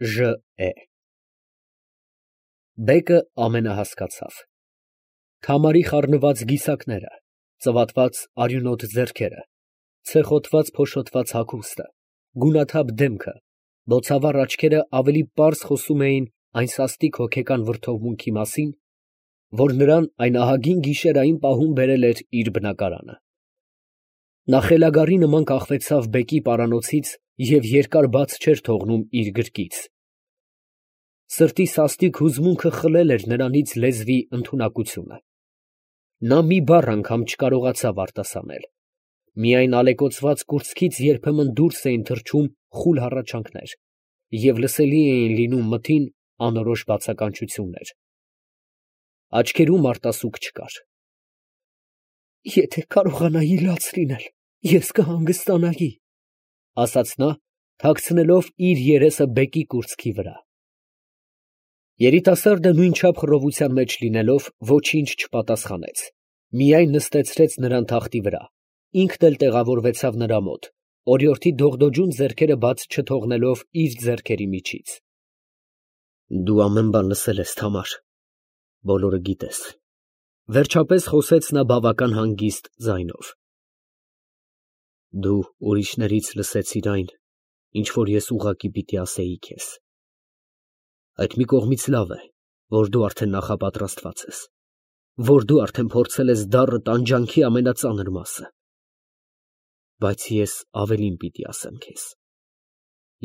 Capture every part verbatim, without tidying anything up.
Ժ է Բեկը ամենահասկացավ։ Քամարի խառնված գիսակները, ծվատված արյունոտ ձեռքերը, ցեխոտված փոշոտված հագուստը, գունաթափ դեմքը, բոցավառ աչքերը ավելի պարզ խոսում էին այն սաստիկ հոգեկան վրդովմունքի մասին, որ նրան այն ահագին գիշերային պահում բերել էր իր բնակարանը։ Նա խելագարի նման կախվեցավ բեկի պարանոցից և երկար բաց չէր թողնում իր գրկից։ Սրտի սաստիկ հուզմունքը խլել էր նրանից լեզվի ընդունակությունը։ Նա մի բառ անգամ չկարողացավ արտասանել, միայն ալեկոծված կուրծքից երբեմն դուրս էին թռչում խուլ հառաչանքներ և լսելի էին լինում մթին անորոշ բացականչություններ։ Աչքերում արտասուք չկար։ «Եթե կարողանայի լաց լինել, ես կհանգստանայի», ֊ ասաց նա, թաքցնելով իր երեսը բեկի կուրծքի վրա։ Երիտասարդը նույնչափ խռովության մեջ լինելով ոչինչ չպատասխանեց, միայն նստեցրեց նրան թախտի վրա, ինքն էլ տեղավորվեցավ նրա մոտ, օրիորդի դողդոջուն ձեռքերը բաց չթողնելով իր ձեռքերի միջից։ «Դու ամեն բան լսել ես, Թամար, բոլորը գիտես», ֊ վերջապես խոսեց նա բավական հանգիստ ձայնով։ «Դու ուրիշներից լսեցիր այն, ինչ որ ես ուղղակի պիտի ասեի քեզ։ Այդ մի կողմից լավ է, որ դու արդեն նախապատրաստված ես, որ դու արդեն փորձել ես դառը տանջանքի ամենածանր մասը։ Բայց ես ավելին պիտի ասեմ քեզ,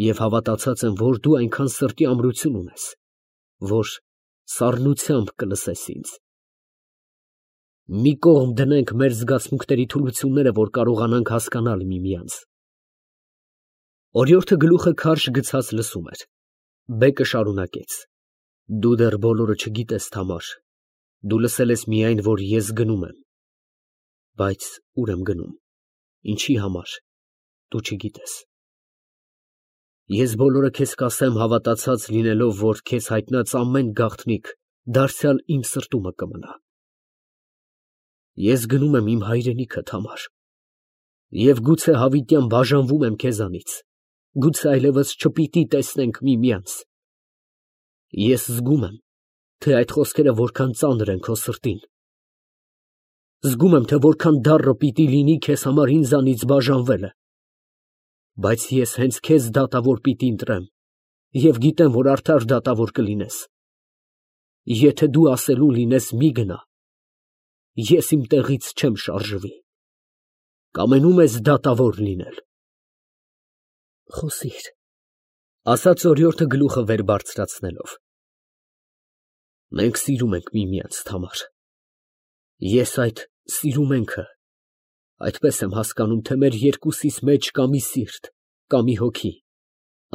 և հավատացած եմ, որ դու այնքան սրտի ամրություն ունես, որ սառնությամբ կլսես ինձ։ Մի կողմ դնենք մեր զգացմունքների թուլությունները, որ կարողանանք հասկանալ միմյանց»։ Օրիորդը գլուխը քարշ գցած լսում էր։ Բեկը շարունակեց. «Դու դեռ բոլորը չգիտես, Թամար, դու լսել ես միայն, որ ես գնում եմ, բայց ո՞ւր եմ գնում, ինչի համար, դու չգիտես։ Ես բոլորը քեզ կասեմ հավատացած լինելով, որ քեզ հայտնած ամեն գաղտնիք դարձյալ իմ սրտումը կմնա։ Ես գնում եմ իմ հայրենիքը, Թամար, և գուցե հավիտյան բաժանվում եմ քեզանից, գուցե այլևս չպիտի տեսնենք միմյանց։ Ես զգում եմ, թե այդ խոսքերը որքան ծանր են քո սրտին։ Զգում եմ, թե որքան դառը պիտի լինի քեզ համար ինձանից բաժանվելը։ Բայց ես հենց քեզ դատավոր պիտի ընտրեմ և գիտեմ, որ արդար դատավոր կլինես։ Եթե դու ասելու լինես մի գնա, ես իմ տեղից չեմ շարժվի։ Կամենում ես դատավոր լինել։ Խոսիր, ֊ ասաց օրիորդը գլուխը վեր բարձրացնելով։ Մենք սիրում ենք միմյանց, Թամար։ Ես այդ սիրում ենքը այդպես եմ հասկանում, թե մեր երկուսիս մեջ կա մի սիրտ, կա մի հոգի,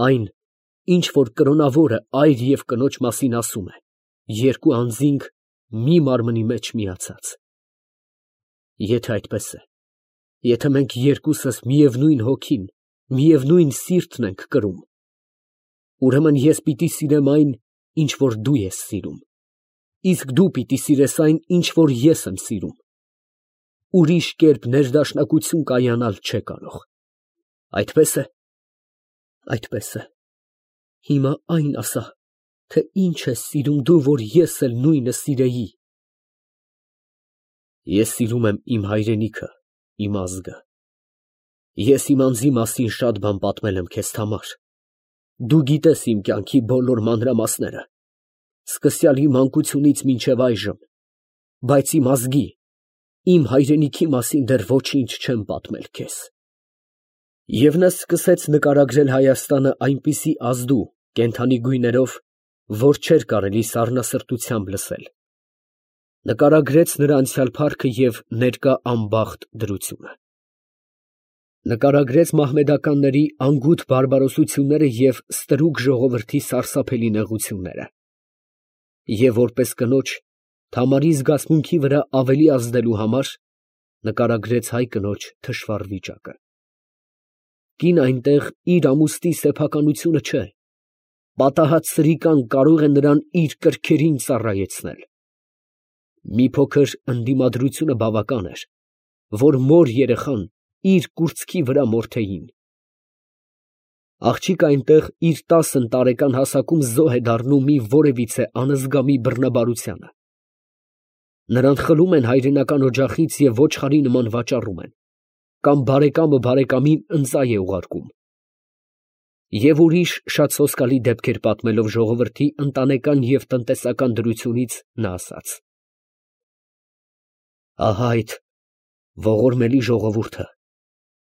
այն, ինչ որ կրոնավորը այր և կնոջ մասին ասում է, երկու անձինք մի մարմնի մեջ միացած։ Եթե այդպես է, եթե մենք երկուսս միևնույն հոգին, միևնույն սիրտն ենք կրում, ուրեմն ես պիտի սիրեմ այն, ինչ որ դու ես սիրում, իսկ դու պիտի սիրես այն, ինչ որ ես եմ սիրում։ Ուրիշ կերպ ներդաշնակություն կայանալ չէ կարող։ Այդպե՞ս է։ Այդպես է։ Հիմա այն ասա, թե ինչ ես սիրում դու, որ ես էլ նույնը սիրեի։ Ես սիրում եմ իմ հայրենիքը, իմ ազգը։ Ես իմ անձի մասին շատ բան պատմել եմ քեզ, Թամար։ Դու գիտես իմ կյանքի բոլոր մանրամասները, սկսյալ իմ մանկությունից մինչև այժմ, բայց իմ ազգի, իմ հայրենիքի մասին դեռ ոչինչ չեմ պատմել քեզ։ Եվ նա սկսեց նկարագրել Հայաստանը այնպիսի ազդու, կենդանի գույներով, որ չէր կարելի սառնասրտությամբ լսել։ Նկարագրեց նրա անցյալ փառքը և ներկա անբախտ դրությունը։ Նկարագրեց մահմեդականների անգութ բարբարոսությունները և ստրուկ ժողովրդի սարսափելի նեղությունները։ Եվ որպես կնոջ, Թամարի զգացմունքի վրա ավելի ազդելու համար, նկարագրեց հայ կնոջ թշվառ վիճակը։ Կին այնտեղ իր ամուսնի սեփականությունը չէ, պատահած սրիկան կարող է նրան իր կրքերին ծառայեցնել։ Մի փոքր ընդդիմադրությունը բավական էր, որ մոր երեխան իր կուրծքի վրա մորթեին։ Աղջիկը այնտեղ իր տասն տարեկան հասակում զոհ է դառնում մի որևիցե անզգամի բռնաբարությանը։ Նրան խլում են հայրենական օջախից և ոչխարի նման վաճառում են, կամ բարեկամը բարեկամին ընծայ է ուղարկում։ Եվ ուրիշ շատ սոսկալի դեպքեր պատմելով ժողովրդի ընտանեկան և տնտեսական դրությունից, նա ասաց. «Ահա այդ ողորմելի ժողովուրդը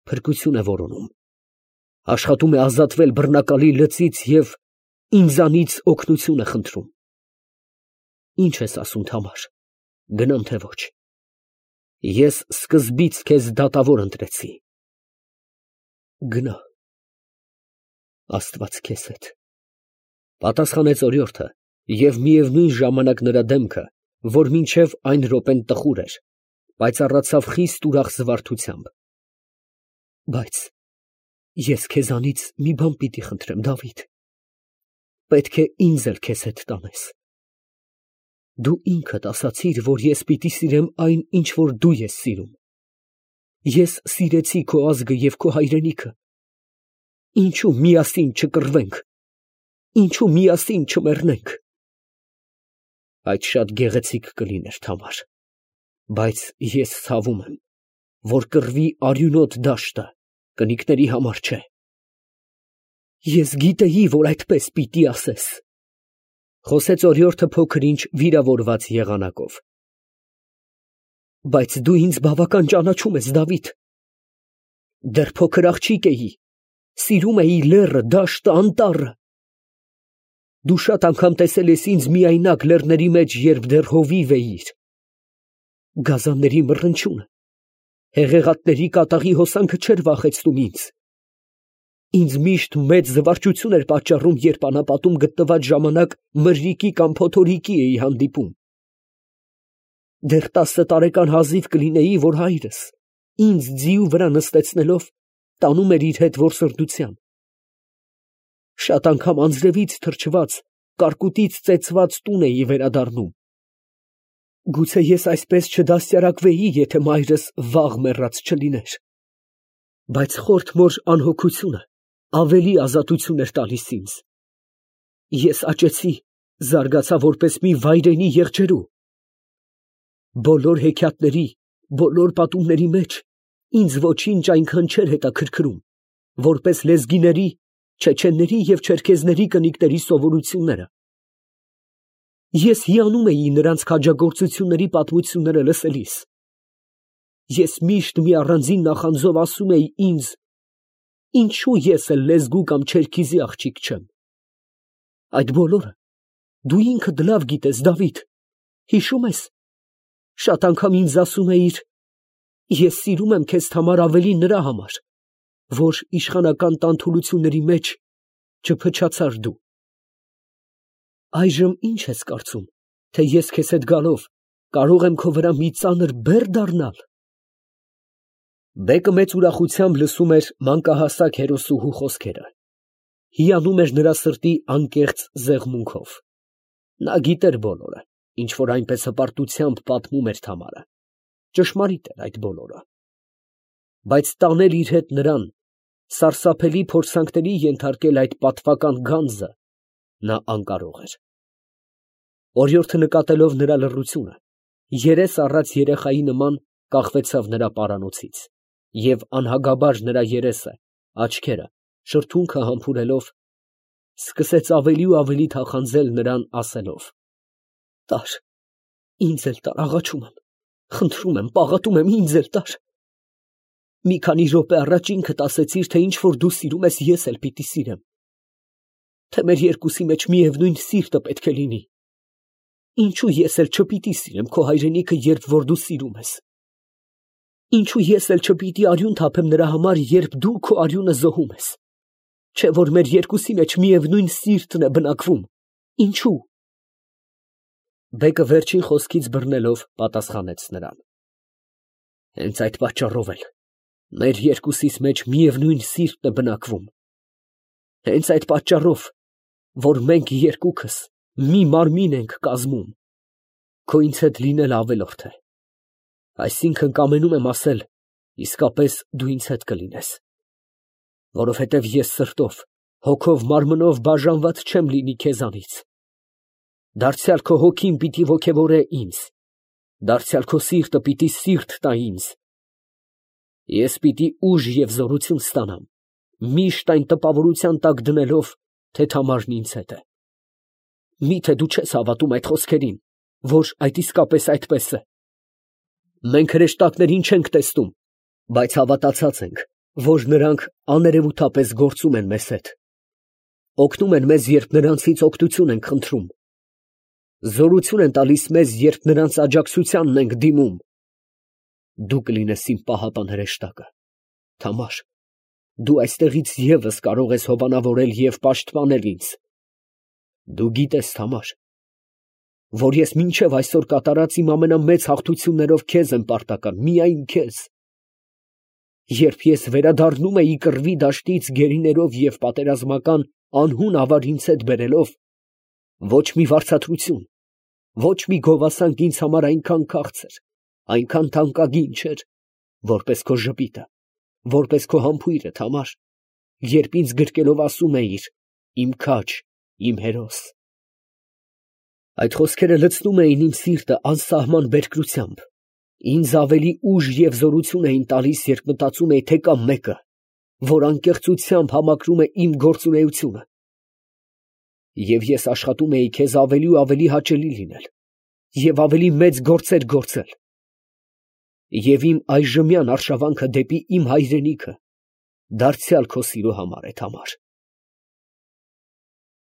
փրկություն է որոնում, աշխատում է ազատվել բռնակալի լծից և ինձանից օգնություն է խնդրում։ Ի՞նչ ես ասում, Թամար, գնամ թե ոչ։ Ես սկզբից քեզ դատավոր ընտրեցի։ Գնա, Աստված քեզ հետ», ֊ պատասխանեց օրիորդը, և միևնույն ժամանակ նրա դեմքը, որ մինչև այն րոպեն տխուր էր, պայծառացավ խիստ ուրախ զվարթությամբ։ «Բայց ես քեզանից մի բան պիտի խնդրեմ, Դավիթ. պետք է ինձ էլ քեզ հետ տանես։ Դու ինքդ ասացիր, որ ես պիտի սիրեմ այն, ինչ որ դու ես սիրում։ Ես սիրեցի քո ազգը և քո հայրենիքը։ Ինչո՞ւ միասին չկռվենք, ինչո՞ւ միասին չմեռնենք»։ Այդ շատ գեղեցիկ կլիներ, Թամար, բայց ես ցավում եմ, որ կռվի արյունոտ դաշտը կնիկների համար չէ։ Ես գիտեի, որ այդպես պիտի ասես, ֊ խոսեց օրիորդը փոքր-ինչ վիրավորված եղանակով։ Բայց դու ինձ բավական ճանաչում ես, Դավիթ։ Դեռ փոքր աղջիկ էի, սիրում էի լեռը, դաշտը, անտառը։ Դու շատ անգամ տեսել ես ինձ միայնակ լեռների մեջ, երբ դեռ հովիվ էիր։ Գազանների մռնչյունը, հեղեղատների կատաղի հոսանքը չէր վախեցնում ինձ։ Ինձ միշտ մեծ զվարճություն էր պատճառում, երբ անապատում գտնված ժամանակ մրրիկի կամ փոթորիկի էի հանդիպում։ Դեռ տասը տարեկան հազիվ կլինեի, որ հայրս ինձ ձիու վրա նստեցնելով տանում էր իր հետ որսորդության։ Շատ անգամ անձրևից թրջված, կարկուտից ծեծված տուն էի վերադառնում։ Գուցե ես այսպես չդաստիարակվեի, եթե մայրս վաղ մեռած չլիներ։ Բայց խորթ մոր անհոգությունը ավելի ազատություն էր տալիս ինձ։ Ես աճեցի, զարգացա որպես մի վայրենի եղջերու։ Բոլոր հեքիաթների, բոլոր պատումների մեջ ինձ ոչինչ այնքան չէր հետաքրքրում, որպես լեզգիների, չեչենների և չերքեզների կնիկների սովորությունները։ Ես հիանում էի նրանց քաջագործությունների պատմությունները լսելիս։ Ես միշտ մի առանձին նախանձով ասում էի ինձ. ինչո՞ւ ես էլ լեզգու կամ չերքիզի աղջիկ չեմ։ Այդ բոլորը դու ինքդ լավ գիտես, Դավիթ, հիշո՞ւմ ես, շատ անգամ ինձ ասում էիր. ես սիրում եմ քեզ, Թամար, ավելի նրա համար, որ իշխանական տանթուլությունների մեջ չփչացար դու։ Այժմ ի՞նչ ես կարծում, թե ես քեզ հետ գալով կարող եմ քո վրա մի ծանր բեռ դառնալ։ Բեկը մեծ ուրախությամբ լսում էր մանկահասակ հերոսուհու խոսքերը, հիանում էր նրա սրտի անկեղծ զեղմունքով։ Նա գիտեր բոլորը, ինչ որ այնպես հպարտությամբ պատմում էր Թամարը, ճշմարիտ էր այդ բոլորը։ Բայց տանել իր հետ նրան, սարսափելի փորձանքների ենթարկել այդ պատվական գանձը նա անկարող էր։ Օրիորդը նկատելով նրա լռությունը, երես առած երեխայի նման կախվեցավ նրա պարանոցից և անհագաբար նրա երեսը, աչքերը, շրթունքը համբուրելով, սկսեց ավելի ու ավելի թախանձել նրան, ասելով. «Տար, ինձ էլ տար, աղաչում եմ, խնդրում եմ, պաղատում եմ, ինձ էլ տար։ Մի քանի րոպե առաջ ինքդ ասեցիր, թե ինչ որ դու սիրում ես, ես էլ պիտի սիրեմ, թե մեր երկուսի մեջ միևնույն սիրտը պետք է լինի։ Ինչու ես էլ չպիտի սիրեմ քո հայրենիքը, երբ որ դու սիրում ես։ Ինչու ես էլ չպիտի արյուն թափեմ նրա համար, երբ դու քո արյունը զոհում ես։ Չէ՞ որ մեր երկուսի մեջ միևնույն սիրտն է բնակվում։ Ինչու»։ Բեկը վերջին խոսքից բռնելով պատասխանեց նրան. «Հենց այդ պատճառով էլ մեր երկուսիս մեջ միևնույն սիրտն է բնակվում։ Հենց այդ պատճառով, որ մենք երկուքս մի մարմին ենք կազմում, քո ինձ հետ լինելը ավելորդ է։ Այսինքն կամենում եմ ասել, իսկապես դու ինձ հետ կլինես, որովհետև ես սրտով Հոգով մարմնով բաժանված չեմ լինի քեզանից. դարձյալ քո հոգին պիտի ոգևորե ինձ, դարձյալ քո սիրտը պիտի սիրտ տա ինձ. ես պիտի ուժ և զորություն ստանամ, միշտ այն տպավորության տակ դնելով, թե Թամարն ինձ հետ է։ Մի՞թե դու չես հավատում այդ խոսքերին, որ այդ իսկապես այդպես է։ Մենք հրեշտակներին չենք տեսնում, բայց հավատացած ենք, որ նրանք աներևութապես գործում են մեզ հետ, օգնում են մեզ, երբ նրանցից օգնություն ենք խնդրում, զորություն են տալիս մեզ, երբ նրանց աջակցությանն ենք դիմում։ Դու կլինես իմ պահապան հրեշտակը, Թամար, դու այստեղից ևս կարող ես հովանավորել և պաշտպանել ինձ։ Դու գիտես, Թամար, որ ես մինչև այսօր կատարած իմ ամենամեծ հաղթություններով քեզ եմ պարտական, միայն քեզ։ Երբ ես վերադառնում էի կռվի դաշտից գերիներով և պատերազմական անհուն ավար ինձ հետ բերելով, ոչ մի վարձատրություն, ոչ մի գովասանք ինձ համար այնքան քաղցր, այնքան թանկագին չէր, որպես քո ժպիտը, որպես քո համբույրը, Թամար, երբ ինձ գրկելով ասում էիր. «Իմ քաջ, իմ հերոս»։ Այդ խոսքերը լցնում էին իմ սիրտը անսահման բերկրությամբ, ինձ ավելի ուժ և զորություն էին տալիս, երբ մտածում էի, թե կա մեկը, որ անկեղծությամբ համակրում է իմ գործունեությունը։ Եվ ես աշխատում էի քեզ ավելի ու ավելի հաճելի լինել և ավելի մեծ գործեր գործել։ Եվ իմ այժմյան արշավանքը դեպի իմ հայրենիքը դարձյալ քո սիրո համար է, Թամար։